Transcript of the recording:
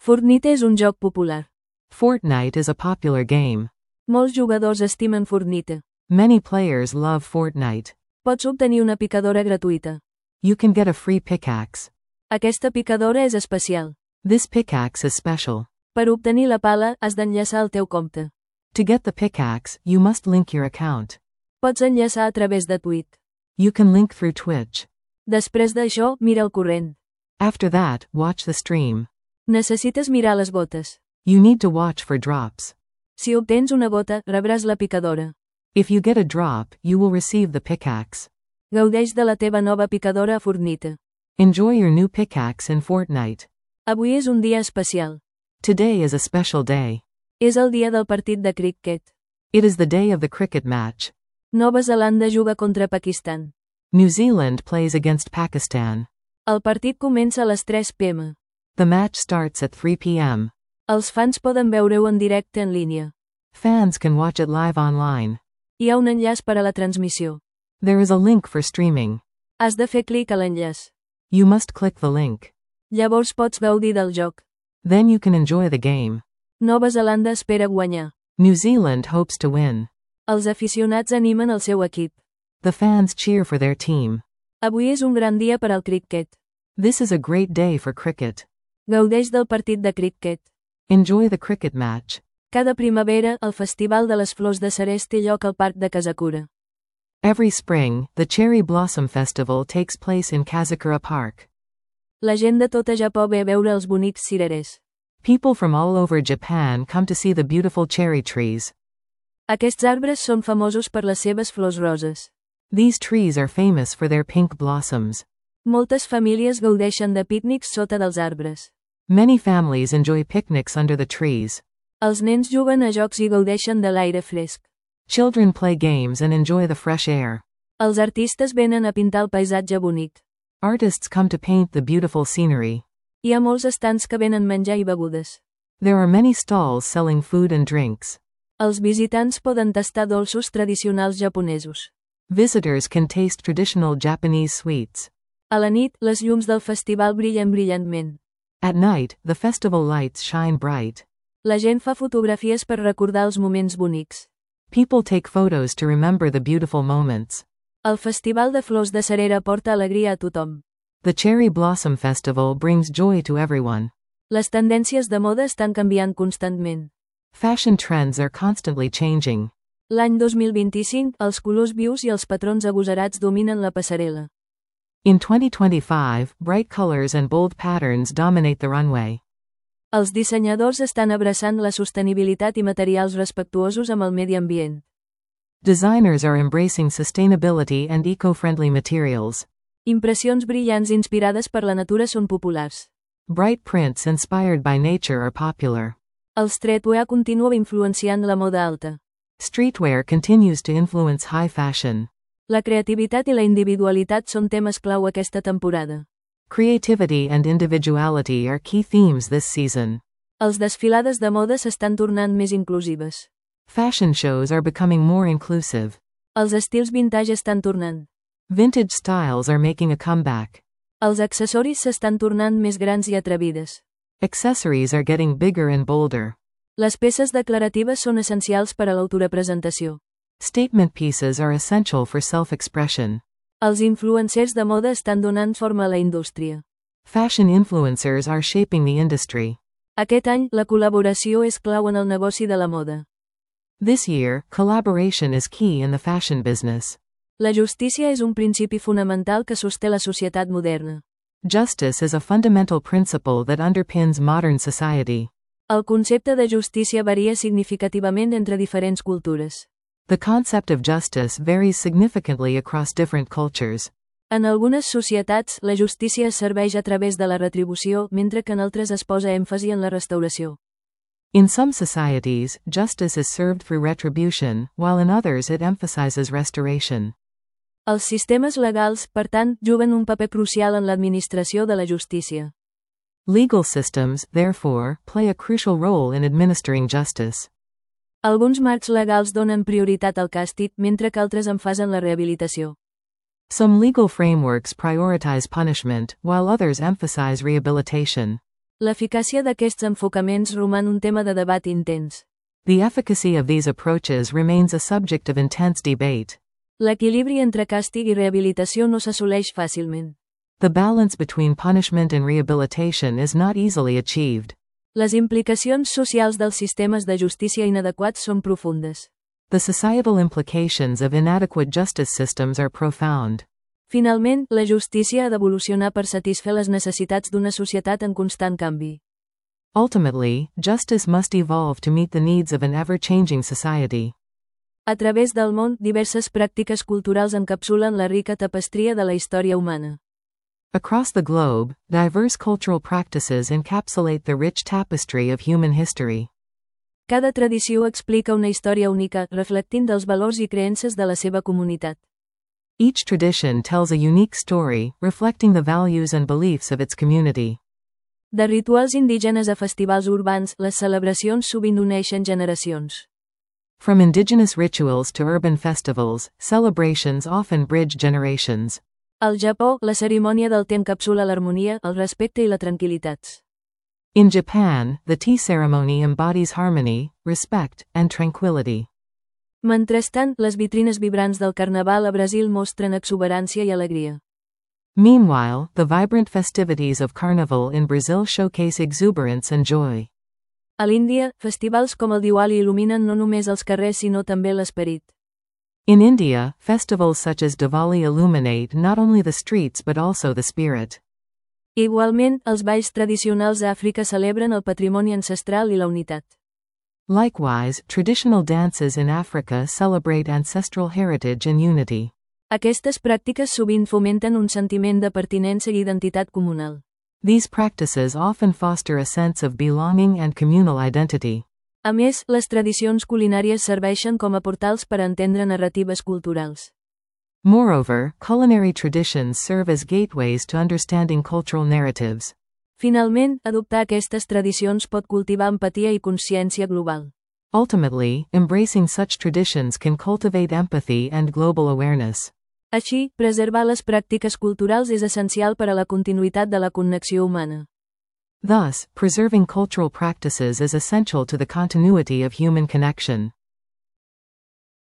Fortnite és un joc popular. Fortnite is a popular game. Molts jugadors estimen Fortnite. Many players love Fortnite. Pots obtenir una picadora gratuïta. You can get a free pickaxe. Aquesta picadora és especial. This pickaxe is special. Per obtenir la pala, has d'enllaçar el teu compte. To get the pickaxe, you must link your account. Pots enllaçar a través de Twitch. You can link through Twitch. Després d'això, mira el corrent. After that, watch the stream. Necessites mirar les botes. You need to watch for drops. Si obtens una bota, rebràs la picadora. If you get a drop, you will receive the pickaxe. Gaudeix de la teva nova picadora a Fortnite. Enjoy your new pickaxe in Fortnite. Avui és un dia especial. Today is a special day. És el dia del partit de cricket. It is the day of the cricket match. Nova Zelanda juga contra Pakistan. New Zealand plays against Pakistan. El partit comença a les 3 p.m. The match starts at 3 p.m. Els fans poden veure-ho en directe en línia. Fans can watch it live online. Hi ha un enllaç per a la transmissió. There is a link for streaming. Has de fer clic a l'enllaç. You must click the link. Llavors pots gaudir del joc. Then you can enjoy the game. Nova Zelanda espera guanyar. New Zealand hopes to win. Els aficionats animen el seu equip. The fans cheer for their team. Avui és un gran dia per al cricket. This is a great day for cricket. Gaudeix del partit de cricket. Enjoy the cricket match. Cada primavera, el Festival de les Flors de Ceres té lloc al Parc de Kazakura. Every spring, the Cherry Blossom Festival takes place in Kazakura Park. La gent de tot a Japó ve a veure els bonics cirerers. People from all over Japan come to see the beautiful cherry trees. Aquests arbres són famosos per les seves flors roses. These trees are famous for their pink blossoms. Moltes famílies gaudeixen de pícnics sota dels arbres. Many families enjoy picnics under the trees. Els nens juguen a jocs i gaudeixen de l'aire fresc. Children play games and enjoy the fresh air. Els artistes venen a pintar el paisatge bonic. Artists come to paint the beautiful scenery. Hi ha molts estands que venen menjar i begudes. There are many stalls selling food and drinks. Els visitants poden tastar dolços tradicionals japonesos. Visitors can taste traditional Japanese sweets. A la nit, les llums del festival brillen brillantment. At night, the festival lights shine bright. La gent fa fotografies per recordar els moments bonics. People take photos to remember the beautiful moments. El Festival de Flors de Cerera porta alegria a tothom. The Cherry Blossom Festival brings joy to everyone. Les tendències de moda estan canviant constantment. Fashion trends are constantly changing. L'any 2025, els colors vius i els patrons agosarats dominen la passarel·la. In 2025, bright colors and bold patterns dominate the runway. Els dissenyadors estan abraçant la sostenibilitat i materials respectuosos amb el medi ambient. Designers are embracing sustainability and eco-friendly materials. Impressions brillants inspirades per la natura són populars. Bright prints inspired by nature are popular. El streetwear continua influenciant la moda alta. Streetwear continues to influence high fashion. La creativitat i la individualitat són temes clau aquesta temporada. Creativity and individuality are key themes this season. Els desfilades de moda s'estan tornant més inclusives. Fashion shows are becoming more inclusive. Els estils vintage estan tornant. Vintage styles are making a comeback. Els accessoris s'estan tornant més grans i atrevides. Accessories are getting bigger and bolder. Les peces declaratives són essencials per a l'autorepresentació. Statement pieces are essential for self-expression. Els influencers de moda estan donant forma a la indústria. Fashion influencers are shaping the industry. Aquest any, la col·laboració és clau en el negoci de la moda. This year, collaboration is key in the fashion business. La justícia és un principi fonamental que sosté la societat moderna. Justice is a fundamental principle that underpins modern society. El concepte de justícia varia significativament entre diferents cultures. The concept of justice varies significantly across different cultures. En algunes societats, la justícia es serveix a través de la retribució, mentre que en altres es posa èmfasi en la restauració. In some societies, justice is served through retribution, while in others it emphasizes restoration. Els sistemes legals, per tant, juguen un paper crucial en l'administració de la justícia. Legal systems, therefore, play a crucial role in administering justice. Alguns marcs legals donen prioritat al càstig, mentre que altres enfasen la rehabilitació. Some legal frameworks prioritize punishment, while others emphasize rehabilitation. L'eficàcia d'aquests enfocaments roman un tema de debat intens. The efficacy of these approaches remains a subject of intense debate. L'equilibri entre càstig i rehabilitació no s'assoleix fàcilment. The balance between punishment and rehabilitation is not easily achieved. Les implicacions socials dels sistemes de justícia inadequats són profundes. The societal implications of inadequate justice systems are profound. Finalment, la justícia ha d'evolucionar per satisfer les necessitats d'una societat en constant canvi. Ultimately, justice must evolve to meet the needs of an ever-changing society. A través del món, diverses pràctiques culturals encapsulen la rica tapestria de la història humana. Across the globe, diverse cultural practices encapsulate the rich tapestry of human history. Cada tradició explica una història única, reflectint dels valors i creences de la seva comunitat. Each tradition tells a unique story, reflecting the values and beliefs of its community. De rituals indígenes a festivals urbans, les celebracions sovint uneixen generacions. From indigenous rituals to urban festivals, celebrations often bridge generations. Al Japó, la cerimònia del te encapsula l'harmonia, el respecte i la tranquil·litat. In Japan, the tea ceremony embodies harmony, respect, and tranquility. Mentrestant, les vitrines vibrants del carnaval a Brasil mostren exuberància i alegria. Meanwhile, the vibrant festivities of Carnival in Brazil showcase exuberance and joy. A l'Índia, festivals com el Diwali il·luminen no només els carrers sinó també l'esperit. In India, festivals such as Diwali illuminate not only the streets but also the spirit. Igualment, els balls tradicionals a Àfrica celebren el patrimoni ancestral i la unitat. Likewise, traditional dances in Africa celebrate ancestral heritage and unity. Aquestes pràctiques sovint fomenten un sentiment de pertinença i identitat comunal. These practices often foster a sense of belonging and communal identity. A més, les tradicions culinàries serveixen com a portals per entendre narratives culturals. Moreover, culinary traditions serve as gateways to understanding cultural narratives. Finalment, adoptar aquestes tradicions pot cultivar empatia i consciència global. Ultimately, embracing such traditions can cultivate empathy and global awareness. Així, preservar les pràctiques culturals és essencial per a la continuïtat de la connexió humana. Thus, preserving cultural practices is essential to the continuity of human connection.